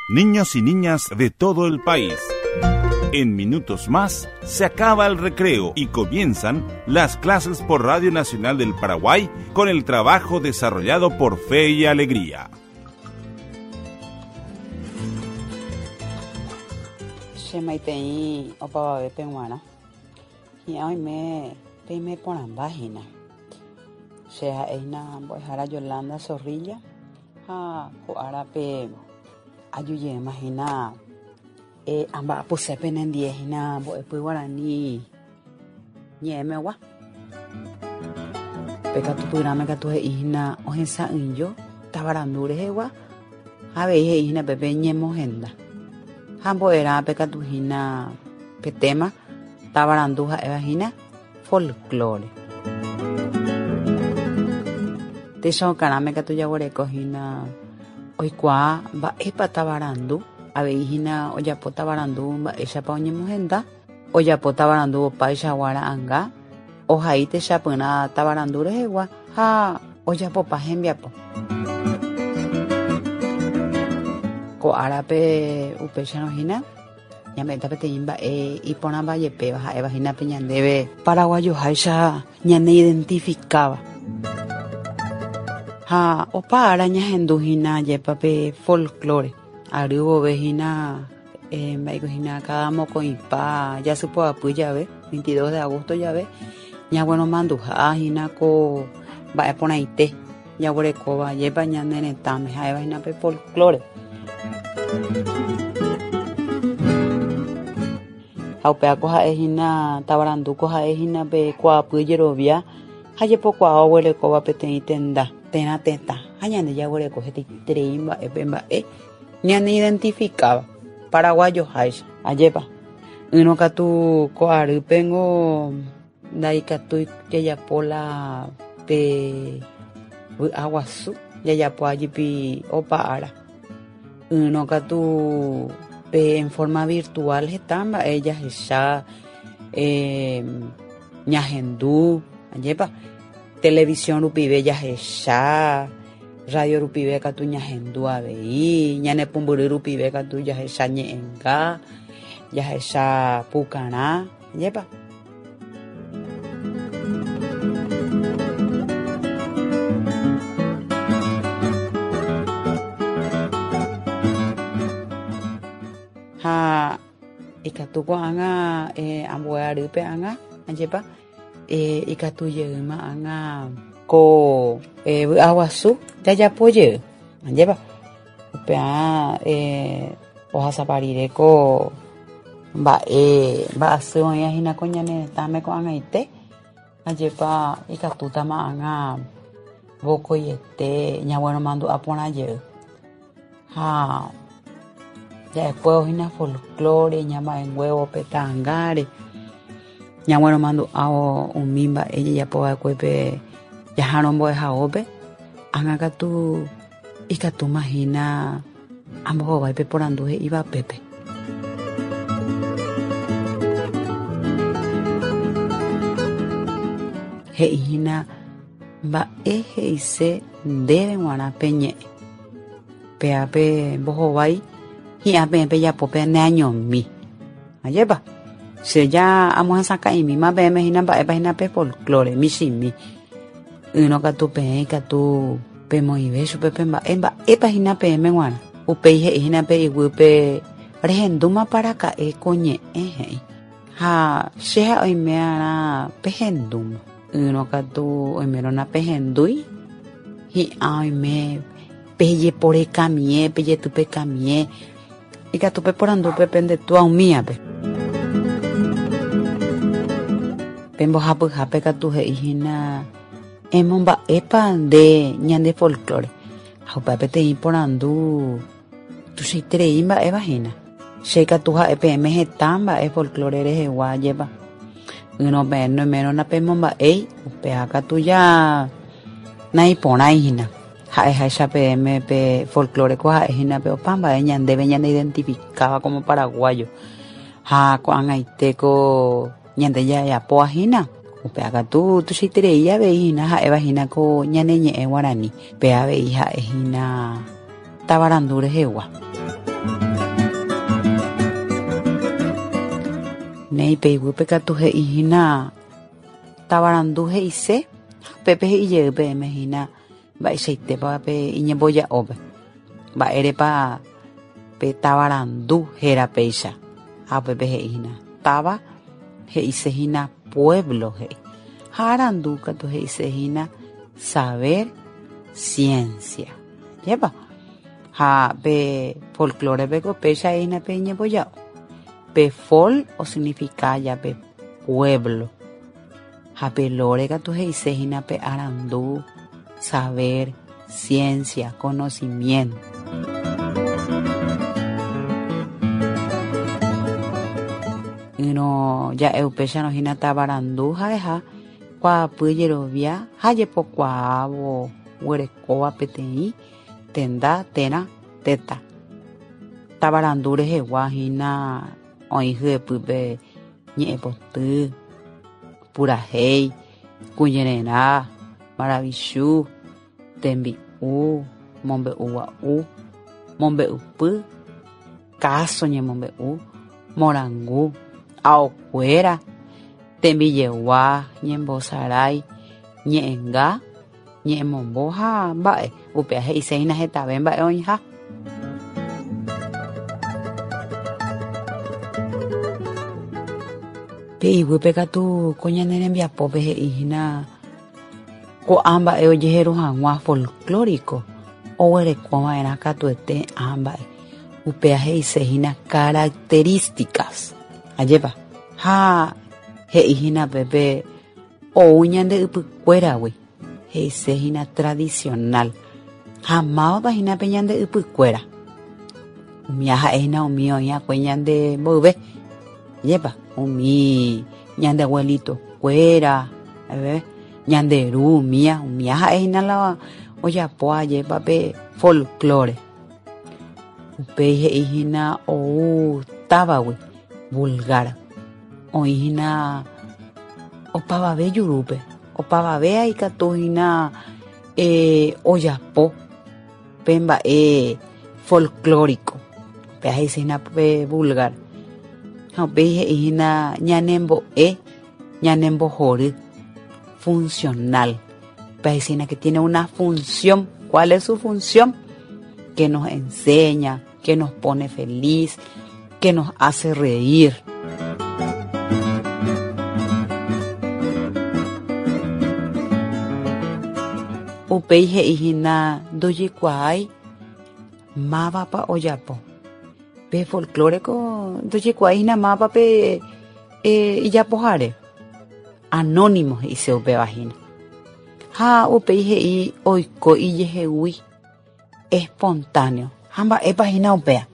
Niños y niñas de todo el país. En minutos más se acaba el recreo y comienzan las clases por Radio Nacional del Paraguay con el trabajo desarrollado por Fe y Alegría. Che maitei opavavépe g̃uarã. Hi'ã oime peime porãmba hína. Che ha'e hína mbo'ehára Yolanda Zorrilla ha ko árape aju jeýma hína amba'apose penendie hína mbo'epy guarani ñe'ẽmegua. Pe katupyrãme katu he'i hína ohesa'ỹijo tavarandu rehegua ha avei he'i hína pépe ñemohenda. Ha mbo'erãpe katu hína pe téma tavarandu ha'éva hína folklore. Techaukarãme katu jaguereko hína oikuaa mba'épa tavarandu, avei hína ojapo tavarandu mba'éichapa oñemohenda, ojapo tavarandu opaichagua ra'anga, ohai techapyrã tavarandu rehegua ha ojapopa hembiapo. Ko árape upéicharõ hína Ñame'ẽta peteĩ mba'e iporãva jepéva ha'éva hína pe ñandéve paraguayoháicha ñaneidentifikáva. Ha opa ára ñahendu hína ajépa pe folklore. Ary vove hína mba'éiko hína káda mokõipa jasypoapy jave, 22 de agosto jave, ñagueromanduha hína ko mba'e porãite jaguerekóva ajépa ñane retãme ha'éva hína pe folklore. Ha upéva ko ha'e hína tavarandu ko ha'e hína pe kuaapy jerovia ha jepokuaa oguerekóva peteĩ tenda térã tetã ha ñande jaguereko hetaiterei mba'e pe mba'e ñaneidentifikáva paraguayoháicha. Ajépa, ỹrõ katu ko arýpengo Ndaikatúi jajapo la pe vy'a guasu jajapoa jepi opa ára. Ỹrõ katu pe en forma virtual heta mba'e jahecha ñahendu, ajépa? Televisión rupive jahecha, radio rupive katu ñahendu avei, ñane pumbyry rupive katu jahecha ñe'ẽnga, jahecha pukarã, ajépa? Ha ikatu ko'ág̃a ambue arýpe ág̃a, ajépa, ikatu jeýma ág̃a ko vy'aguasu jajapo jey, ajépa. Upearã ohasapa rire ko mba'e mba'asy oĩva hína ko ñane retãme ko'ag̃aite, ajépa ikatútama ág̃a vokoiete ñagueromandu'a porã jey. Ha ja'ekuévo hína folklore ñama'ẽnguévo pe ta'angáre, ñagueromandu'ávo umi mba'e jajapo va'ekue pe jahárõ mbo'ehaópe, ág̃a katu ikatúma hína ambohovái pe porandu he'íva pépe. He'i hína mba'e he'ise ndéve g̃uarã pe ñe'ẽ. Péva pe mbohovái hi'ã peẽ pejapo peneañomi. Ajépa? Che ja amohesakã'imíma peẽme hína mba'épa hína pe folklore, michĩmi. Ỹrõ katu peẽ ikatu pemoĩve chupe pe mba'e mba'épa hína peẽme g̃uarã. Upéi he'i hína pe iguýpe rehendúmapa raka'e ko ñe'ẽ he'i. Ha che ha oime'arã pehendúma. Ỹrõ katu oimérõ napehendúi, hi'ã oime pejeporekamie, pejetypekamie, ikatu peporandu pe pende túa umíape. Pe mbohapyhápe katu he'i hína, Emomba'épa nde ñande folklore? Ha upéva peteĩ porandu tuichaiterei mba'éva hína. Che katu ha'e peẽme heta mba'e folklore rehegua ajépa. Ỹrõ peẽ noiméro napemomba'éi, upéva katu ja naiporãi hína. Ha'eháicha peẽme pe folklore ko ha'e hína pe opa mba'e ñandéve ñaneidentifikáva como paraguayo. Ha ko'ag̃aite ko ñande jajapóva hína, upéva katu tuichaiterei avei hína ha'éva hína ko ñane ñe'ẽ guarani. Pe avei ha'e hína tavarandu rehegua. Néi pe iguýpe katu he'i hína tavarandu he'ise ha upépe he'i jey peẽme hína mba'eichaitépa pe iñemboja'ópe. Mba'érepa pe tavarandu héra péicha? Ha upépe he'i hína táva he'ise hína pueblo he'i. Ha arandu katu he'ise hína saber, ciencia. Ajépa? Ha pe folklore-pe ko péicha hína pe iñemboja'o. Pe fol osignifica ja pe pueblo. Ha pe lore katu he'ise hína pe arandu, saber, ciencia, conocimiento. Ỹrõ ja'e upéicharõ hína tavarandu ha'eha kuaapy jerovia ha jepokuaávo guerekóva peteĩ tenda térã tetã. Tavarandu rehegua hína oĩ hyepýpe ñe'ẽpoty, purahéi, kuñererã, maravichu, tembi'u, mombe'ugua'u, mombe'upy, káso ñemombe'u, morangu, aokuéra, tembijegua, ñembosarái, ñe'ẽnga, ñe'ẽmombo ha mba'e, upéva he'ise hína hetave mba'e oĩha. Pe iguýpe katu ko ñane rembiapópe he'i hína ko'ã mba'e ojeheru hag̃ua folklórico oguerekova'erã katuete ã mba'e. Upéva he'ise hína características. Ajépa? Ha he'i hína pépe Ou ñande ypykuéragui, he'ise hína tradicional. Ha mávapa hína pe ñande ypykuéra? Umía ha'e hína umi oĩ akue ñande mboyve. Ajépa? Umi ñande abuelitokuéra, ñande ru umía, umía ha'e hína la ojapo ajépa pe folklore. Upéi he'i hína ou távagui, vulgar. Oĩ hína opavave jurúpe, opavave ikatu hína ojapo pe mba'e folklórico, upéva he'ise hína pe vulgar. Ha upéi he'i hína ñanembo'e, ñanembohory, funcional. Upéva he'ise hína que tiene una función. ¿Cuál es su función? Que nos enseña, que nos pone feliz, que nos hace reír. Upéi he'i hína ndojekuaái mávapa ojapo. Pe folklore-ko ndojekuaái hína mávapa pe ijapohare. Anónimo he'ise upéva hína. Ha upéi he'i oiko ijehegui. Espontáneo. Ha mba'épa hína upéva?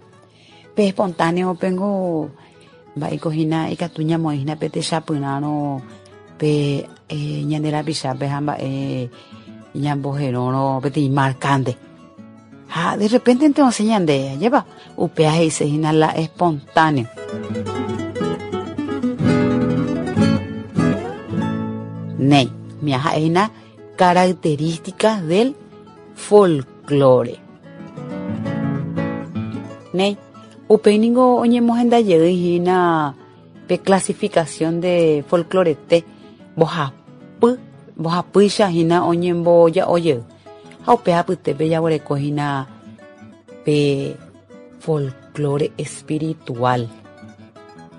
Pe espontáneo pengo mba'éiko hína ikatu ñamoĩ hína pe techapyrãrõ pe ñande rapichápe ha mba'e ñamboherórõ peteĩ markánte. Ha de repente osẽ ñande, ajépa? Upéva he'ise hína la espontáneo. Néi, umíva ha'e hína características del folklore. Néi, upéi ningo oñemohenda jey hína pe clasificación de folklorete mbohapy, mbohapýicha hína oñemboja'o jey. Ha upe apytépe jaguereko hína pe folklore espiritual.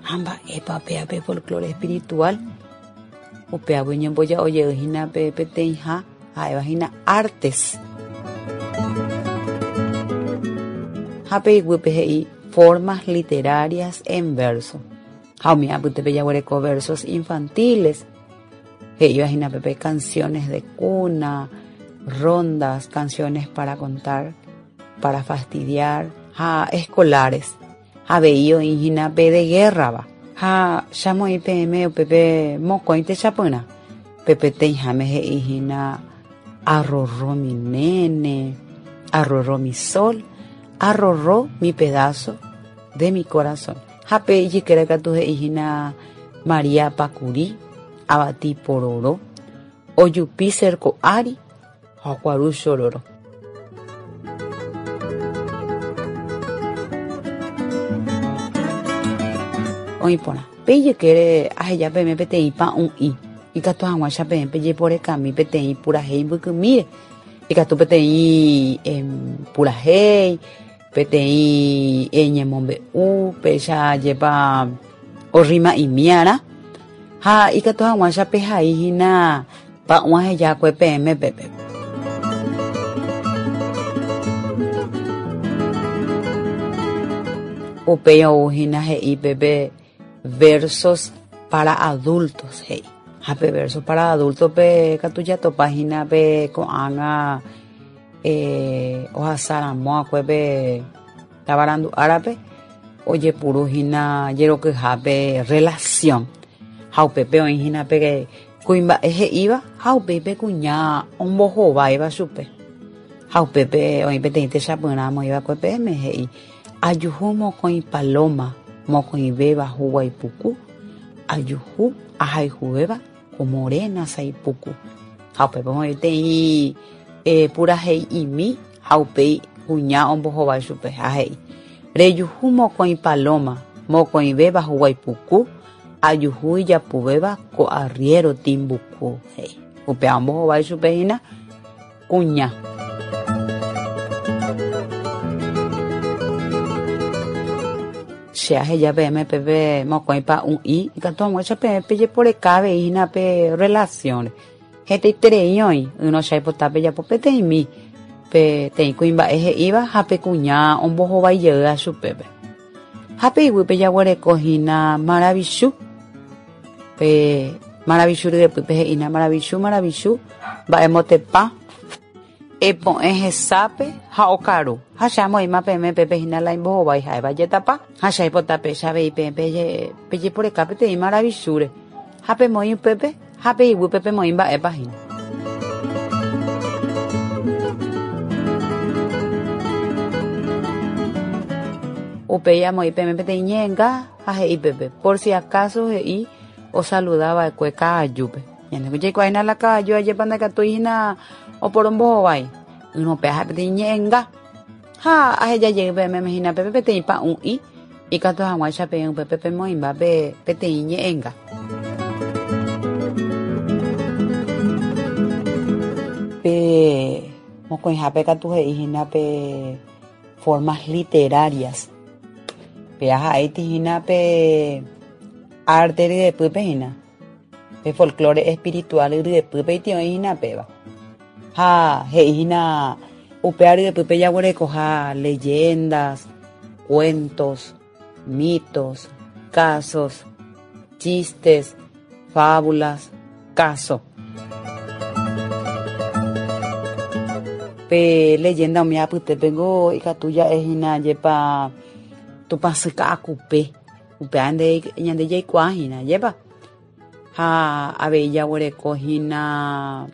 Ha mba'épa upéva pe folklore espiritual? Upévagui oñemboja'o jey hína pe peteĩha ha'éva hína artes. Ha pe iguýpe he'i formas literarias en verso. Ha umi apytépe jaguereko versos infantiles, he'íva hína pépe canciones de cuna, rondas, canciones para contar, para fastidiar, ha escolares. Avei oĩ hína pe de guerra-va. Ha che amoĩ peẽme upépe mokõi techapyrã. Pe peteĩháme he'i hína arrorro mi nene, arrorro mi sol, arrorro mi pedazo de mi corazón. Ha pe ijykére katu he'i hína María Pakuri, avati pororo, ojupi cerco ári ha okuaru chororo. Oĩ porã. Pe ijykére aheja peẽme peteĩ pa'ũ'i, ikatu hag̃uáicha peẽ pejeporekami peteĩ purahéi mbykymíre. Ikatu peteĩ purahéi, peteĩ ñemombe'u, péicha ajépa orrima'imiarã ha ikatu hag̃uáicha pehai hína pa'ũ ahejakue peẽme pépe. Upéi ou hína he'i pépe versos para adultos he'i. Ha pe versos para adultos-pe katu jatopa hína pe ko'ág̃a Ohasa ramo akue pe tavarandu árape ojepuru hína jerokyhápe relación ha upépe oĩ hína pe kuimba'e he'íva ha upéi pe kuña ombohováiva chupe. Ha upépe oĩ peteĩ techapyrã omoĩva'ekue peẽme he'i, Ajuhu mokõi paloma, mokõivéva huguái puku, ajuhu ahayhuvéva ko morena sái puku. Ha upépe oĩ peteĩ purahei'imi ha upéi kuña ombohovái chupe ha he'i, Rejuhu mokõi paloma, mokõivéva huguái puku, ajuhu ijapuvéva ko arriéro tĩmbuku, he'i. Upéva ombohovái chupe hína kuña. Che aheja peẽme peve mokõi pa'ũ'i ikatu hag̃uáicha peẽ pejeporeka avei hína pe relación-re. Hetaiterei oĩ, ỹrõ che aipota pejapo peteĩmi peteĩ kuimba'e he'íva ha pe kuña ombohovái jeýva chupépe. Ha pe iguýpe jaguereko hína maravichu. Pe maravichu ryepýpe he'ína maravichu, maravichu, mba'emotepa, epo'ẽ hesápe ha okaru. Ha che amoĩma peẽme pépe hína la imbohovái ha'éva jetapa. Ha che aipota péicha avei peẽ pejeporeka peteĩ maravichúre. Ha pemoĩ upépe ha pe iguýpe pemoĩ mba'épa hína. Upéi amoĩ peẽme peteĩ ñe'ẽnga ha he'i pépe, por si acaso he'i osaluda va'ekue ka'ajúpe. Ñande jaikuaa hína la ka'aju ajépa ndaikatúi hína oporombohovái. Ỹrõ péa ha'e peteĩ ñe'ẽnga. Ha aheja jey peẽme hína pépe peteĩ pa'ũ'i ikatu hag̃uáicha peẽ upépe pemoĩmba pe peteĩ ñe'ẽnga. Pe mokõihápe katu he'i hína pe formas literarias. Péa ha'éiti hína pe arte ryepýpe hína. Pe folklore espiritual ryepýpe iti oĩ hína péva. Ha he'i hína upéva ryepýpe jaguerekoha leyendas, cuentos, mitos, casos, chistes, fábulas, káso. Pe leyenda umi apytépengo ikatu ja'e hína jepa Tupãsy Ka'akupe, upéva ñande jaikuaa hína, ajépa? Ha avei jaguereko hína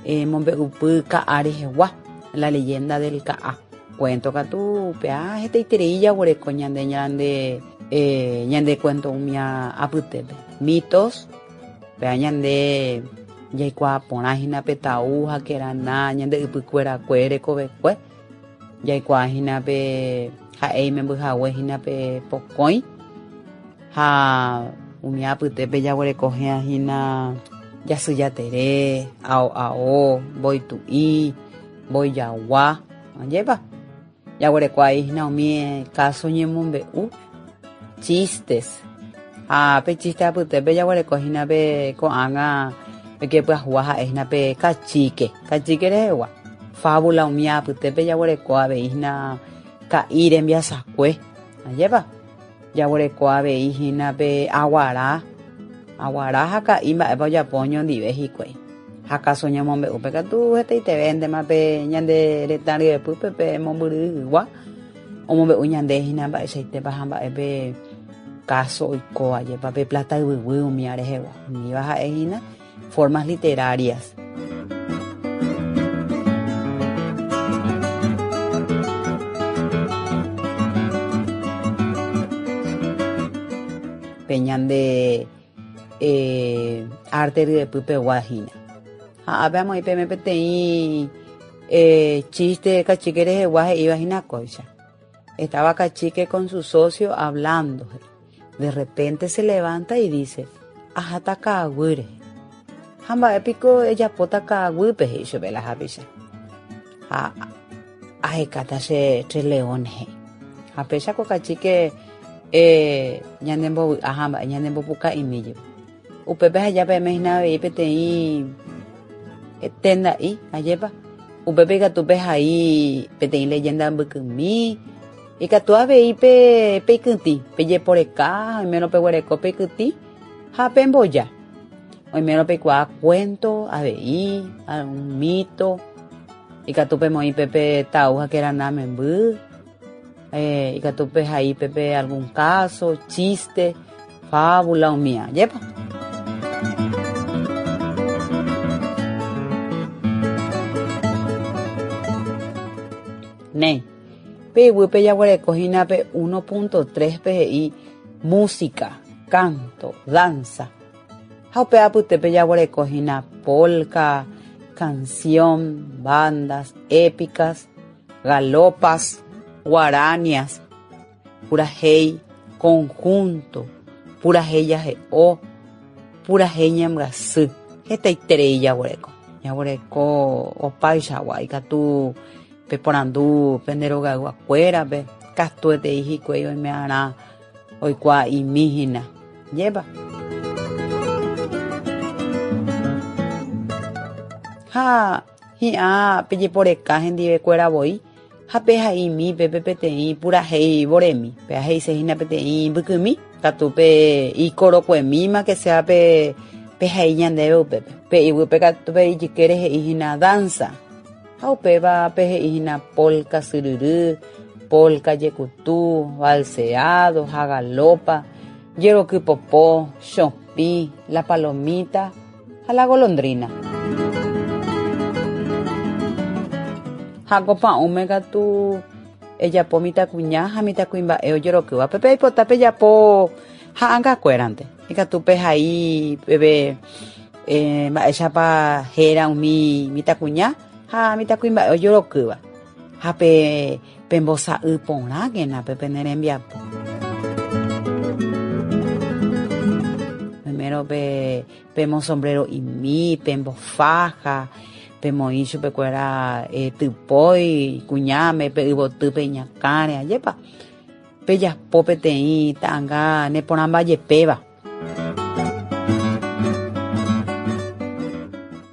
mombe'upy ka'a rehegua, la leyenda del ka'a. Cuento katu upéva hetaiterei jaguereko ñande ñande ñande cuento umi apytépe. Mitos, upéva ñande jaikuaa porã hína pe tau ha kerana ñande ypykuerakue rekovekue. Jaikuaa hína pe ha'e imemby hague hína pe pokõi ha umi apytépe jaguereko hína jasy jatere, ao ao, mbói tu'i, mbói jagua, ajépa? Jaguereko avei hína umi káso ñemombe'u, chistes. Ha pe chiste apytépe jaguereko hína pe ko'ág̃a pe pyahúva ha'e hína pe kachíke, kachíke rehegua. Fábula umi apytépe jaguereko avei hína ka'i rembiasakue, ajépa? Jaguereko avei hína pe aguara, aguara ha ka'i mba'épa ojapo oñondive hikuái. Ha káso ñamombe'úpe katu hetaitevéntema pe ñande retã ryepýpe pe mombyryygua omombe'u ñande hína mba'eichaitépa ha mba'e pe káso oikóva jepa pe plata yvyguy umíva rehegua. Umíva ha'e hína formas literarias. Pe ñande eh, arte ryepypegua hína. Ha ápe amoĩ peẽme peteĩ eh, chiste kachíke rehegua he'íva hína kóicha. Estaba Cachique con su socio hablando. De repente se levanta y dice, Aháta ka'aguy rehe. Ha mba'e piko ejapóta ka'aguýpe, he'i chupe la hapicha. Ha ahekáta che tres leones, he'i. Ha péicha ko kachíke eh, ñanembovy'a ha mba'e ñanembopuka'imi jepe. Upépe aheja peẽme hína avei peteĩ tenda'i, ajépa? Upépe ikatu pehai peteĩ leyenda mbykymi, ikatu avei pe peikytĩ, pejeporeka, oimérõ peguereko peikytĩ ha pemboja. Oimérõ peikuaa cuento avei, algún mito, ikatu pemoĩ pépe tau ha kerana memby. Eh, ikatu pehai pepe algún caso, chiste, fábula umía, ajépa? Néi, pe iguýpe jaguereko hína pe 1.3 pe he'i música, canto, danza. Ha upe apytépe jaguereko hína polka, canción, bandas, épicas, galopas, guaranias, purahéi conjunto, purahéi jahe'o, purahéi ñembyasy. Hetaiterei jaguereko. Jaguereko opaichagua, ikatu peporandu pende rogayguakuérape, katuetei hikuái oime'arã oikuaa'imi hína. Ajépa? Ha Hi'ã pejeporeka hendivekuéra voi ha peha'imi pépe peteĩ purahéi voremi, péva he'ise hína peteĩ mbykymi, katu pe ikorokuemíma que sea pe pehai ñandéve upépe. Pe iguýpe katu pe ijykére he'i hína danza, ha upéva pe he'i hína polka syryry, polka jekutu, valseado ha galopa, jeroky popo, chopĩ, la palomita, Ha la golondrina. Ha ko pa'ũme katu ejapo mitãkuña ha mitãkuimba'e ojerokýva. Pepe aipota pejapo ha'angakuérante. Ikatu pehai peve eh, mba'éichapa héra umi mitãkuña ha mitãkuimba'e ojerokýva. Ha pe pembosa'y porãkena pe pene rembiapo. Primero pe pemosombrero'imi, pembofaja, pemoĩ chupekuéra eh, typói kuñáme, pe yvotýpe iñakãre, ajépa? Pejapo peteĩ ta'anga neporãmba jepéva.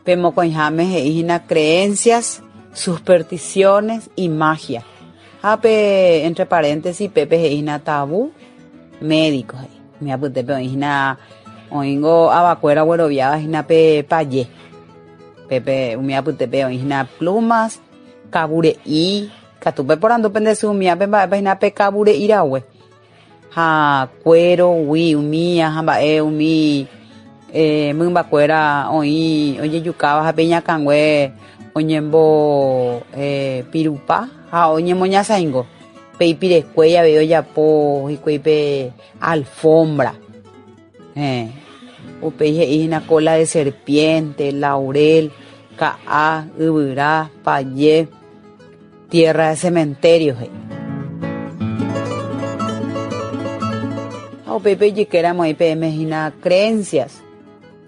Pe mokõiháme he'i hína creencias, supersticiones y magia. Ha pe entre paréntesis pépe he'i hína tabú médico he'i. Umi apytépe oĩ hína oĩngo avakuéra ogueroviáva hína pe paje. Pépe umi apytépe oĩ hína plumas, kavure'i, katu peporandu pende sy umívape mba'épa hína pe kavure'i rague. Ha cuero gui umía ha mba'e umi eh, mymbakuéra oĩ ojejukáva ha pe iñakãngue oñembo eh, pirupa ha oñemoñasaingo. Pe ipirekue avei ojapo hikuái pe alfombra. Eh, upéi he'i hína cola de serpiente, laurel, ka'a, yvyra, paye. Tierra de cementerio he'i. Ha upéi pe ijykéramo oĩ peẽme hína creencias.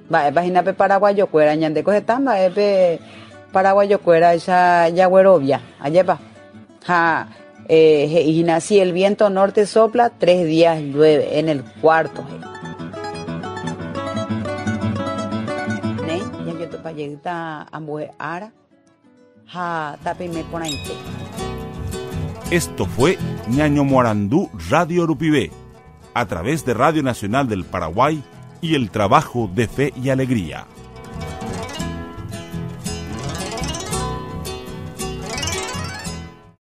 Mba'épa hína pe paraguayokuéra? Ñandéko heta mba'e pe paraguayokuéraicha jaguerovia. Ajépa? Ha eh, he'i hína, si el viento norte sopla, tres días llueve, en el cuarto, he'i. Néi, jajotopa jeýta ambue ára. Ha tapeime porãite. Esto fue Ñañomoarandu Radio Rupive, a través de Radio Nacional del Paraguay y el trabajo de Fe y Alegría.